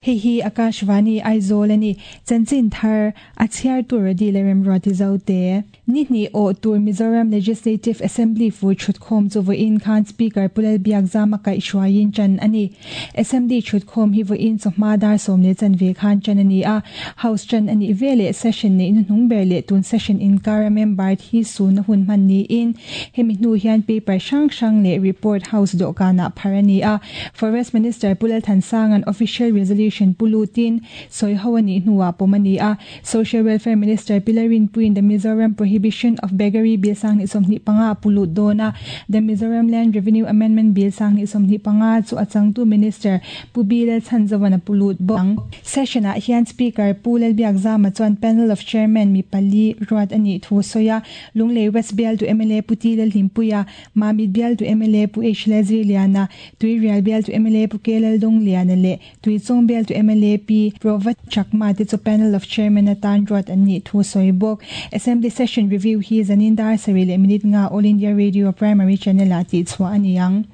Hei hi Akashvani Aizawl a ni. Chanchin thar a chhiar tur a dil e Remruati Zote. Ni hnih awh tur Mizoram Legislative Assembly fur thutkhawm chu vawiin khan Speaker Pu Lalbiakzama kaihhruaiin tan a ni. Assembly thutkhawm hi vawiin chawhma dar 10 chanve khan tan a ni a. House tan a nih veleh session neih hnuhnung ber leh tun session inkara member thi suna hun hman niin hemi hnu hian paper hrang hrang leh report House dawhkanah phar a ni a. Forest Minister Pu Lalthansanga'n official resolution pu lutin sawi ho a nih hnuah pawm a ni a. Social Welfare Minister Pi Lalrinpuiin the Mizoram Prohibition of Beggary Bill 2025 pu lut dawn a. The Mizoram Land Revenue Amendment Bill 2025 chu a changtu Minister Pu B Lalchhanzova'n a pu lut bawk ang. Session-ah hian Speaker Pu Lalbiakzama chuan Panel of Chairman mi pali ruat a nih thu sawi a. Lunglei West bialtu mla Pu T Lalhlimpuia, Mamit bialtu mla Pu H Lalzirliana, Tuirial bialtu mla Pu K Laldawng-liana leh Tuichawng bialtu mla Pi Prova Chakma te chu Panel of Chairman atan ruat an nih thu sawi bawk. Assembly Session Review hi zanin dar 7 minute 5 All India Radio Primary Channel-ah tihchhuah a ni ang.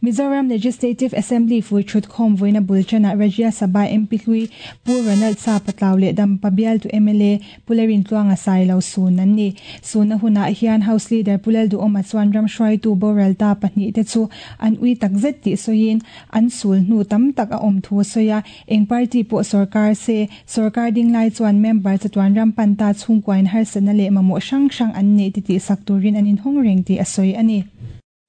Mizoram Legislative Assembly fur thutkhawm vawiina bul tanah Rajya Sabha MP hlui Pu Ronald Sapatlau leh Dampa bialtu mla Pu Lalrintluanga Sailo sun an ni. Sunna hunah hian House Leader Pu Lalduhawma chuan ram hruaitu boral ta pahnih te chu an ui takzet tih sawiin an sul hnu tam tak a awm thu sawi a. Eng party pawh sarkar se sarkar ding lai chuan member chatuan ram pan ta chhungkuain harsatna leh mamawh hrang hrang an nei ti tih sak turin an inhawng reng tih a sawi a ni.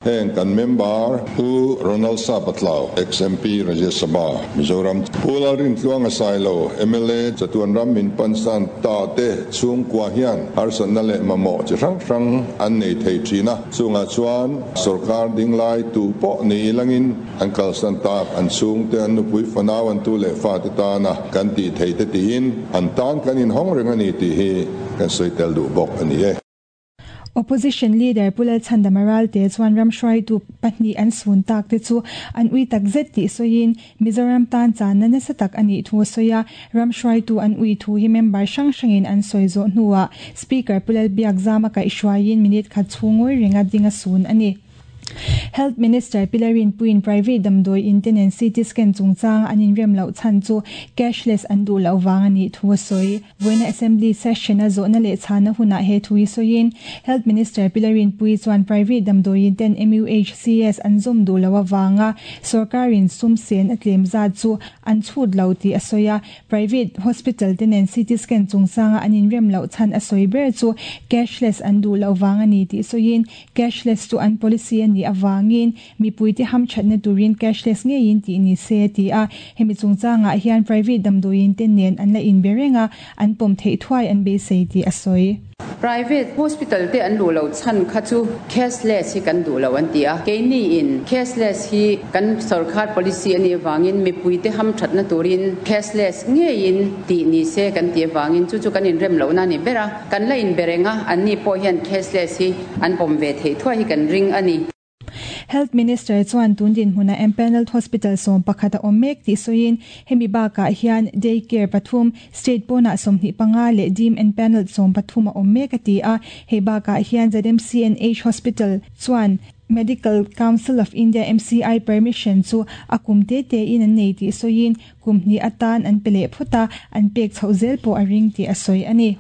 Heng kan member Pu Ronald Sapatlau, ex-MP Rajya Sabha, Mizoram, Pu Lalrintluanga Sailo, mla chatuan ram min pansan ta te chhungkua hian harsatna leh mamawh chi hrang hrang an nei thei thin a. Chungah chuan sarkar ding lai tu pawh ni langin an kalsan tak an chhung te an nupui fanau an tu leh fa te tana kan tih thei te tiin an tan kan inhawng reng a ni tih hi kan sawi tel duh bawk a ni e. Opposition Leader Pu Lalchhandama Ralte chuan ram hruaitu pahnih an sun tak te chu an ui takzet tih sawiin Mizoram tan channa nasa tak a nih thu sawi a. Ram hruaitu an ui thu hi member hrang hrangin an sawi zawh hnuah Speaker Pu Lalbiakzama kaihhruaiin minute khat chhung ngawi renga ding a sun a ni. Health Minister Pi Lalrinpuiin private damdawi in te nen CT scan chungchang an inrem loh chhan chu cashless an duh loh vang a nih thu a sawi. Vawiina Assembly session a zawhna leh chhana hunah he thu hi sawiin Health Minister Pi Lalrinpui chuan private damdawi in ten MUHCS an zawm duh loh avanga sarkarin sum sen a tlem zat chu an chhut lo tih a sawi a. Private hospital te nen CT scan chungchanga an inrem loh chhan a sawi ber chu cashless an duh loh vang a ni tih sawiin cashless chu an policy a nih avangin mipui te hamthatna turin cashless ngeiin tih ni se ti a. Hemi chungchangah hian private damdawi in te nen an la inbe renga an pawm theih thuai an beisei tih a sawi. Private hospital te an duh lo chhan kha chu cashless hi kan duh lo an ti a. Keini in cashless hi kan sarkar policy ani awangin mipui te hamthatna turin cashless ngeiin tih ni se kan ti awangin chu chu kan inrem lo na ni bera kan la inbe renga an ni pawh hian cashless hi an pawm ve thei thuai hi kan ring a ni. Health Minister chuan tundin hmuna empanelled hospital 11 a awm mek tih sawiin hemi bakah hian daycare pathum state pawnah 25 leh deemed empanelled 13 a awm mek a ti a. Hei bakah hian ZMCNH Hospital chuan Medical Council of India MCI permission chu a kum te te in an nei tih sawiin kum hnih atan an pe leh phawt a, an pek chhoh zel pawh a ring tih a sawi a ni.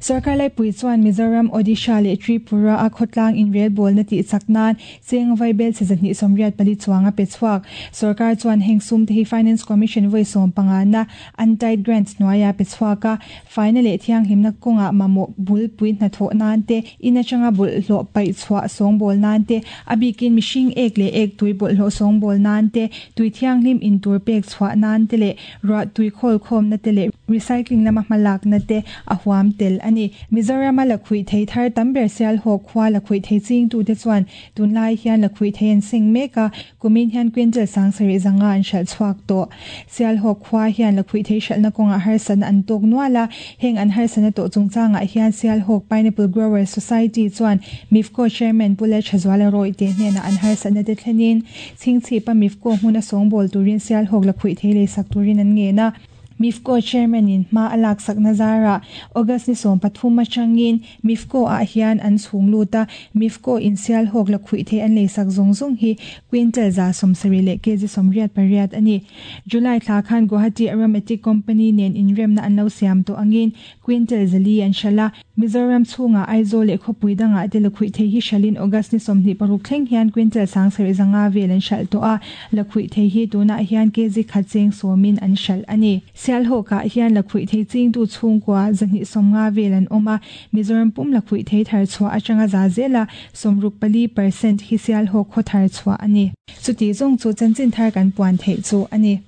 Sarkar laipui chuan Mizoram, Odisha leh Tripura a khawtlang inrelbawl na tih chak nan cheng vaibel che 184 chuang a pe chhuak. Sarkar chuan heng sum te hi Finance Commission vawi 15 na untied grants hnuaia pe chhuak a. Faina leh thianghlimna kawnga mamawh bul pui hnathawh nan te, in atanga bawlhhlawh paih chhuah sawngbawl nan te, a bikin mihring ek leh ek tui bawlhhlawh sawngbawl nan te, tui thianghlim in tur pek chhuah nan te leh ruah tui khawl khawmna te leh recycling lama hmalakna te a huam tel a ni. Mizoram a lakhuih thei thar tam ber Sialhawk khua lakhuih thei chingtu te chuan tunlai hian lakhuih thei an seng mek a, kumin hian quintal 7500 an hralh chhuak tawh. Sialhawk khua hian lakhuih thei hralhna kawngah harsatna an tawk nual a, heng an harsatna tawh chungchangah hian Sialhawk Pineapple Growers Society chuan MIFCO Chairman Pu Lalthazuala Rawih te hnenah an harsatna te thlenin Chhingchhipa MIFCO hmun a sawngbawl turin Sialhawk lakhuih thei lei sak turin an ngen a. MIFCO Chairman in hma a laksakna zarah August ni 13 atangin MIFCO ah hian an chhung lut a, MIFCO in Sialhawk lakhuihthei an leisak zawng zawng hi quintal 170 leh kg 88 a ni. July thla khan Guwahati Aromatic Company nen inremna an lo siam tawh angin quintal 400 an hralh a, Mizoram chhungah Aizawl leh khawpui dangah te lakhuihthei hi hralhin August ni 26 thleng hian quintal 7500 vel an hralh tawh a, lakhuihthei hi tunah hian kg khat cheng sawmin an hralh a ni. Sialhawkah hian lakhuihthei chingtu chhungkua 250 vel an awm a, Mizoram pum lakhuihthei thar chhuah atanga za zela 64% hi Sialhawk khaw thar chhuah a ni. Chuti zawng chu chanchin thar kan puan theih chu a ni.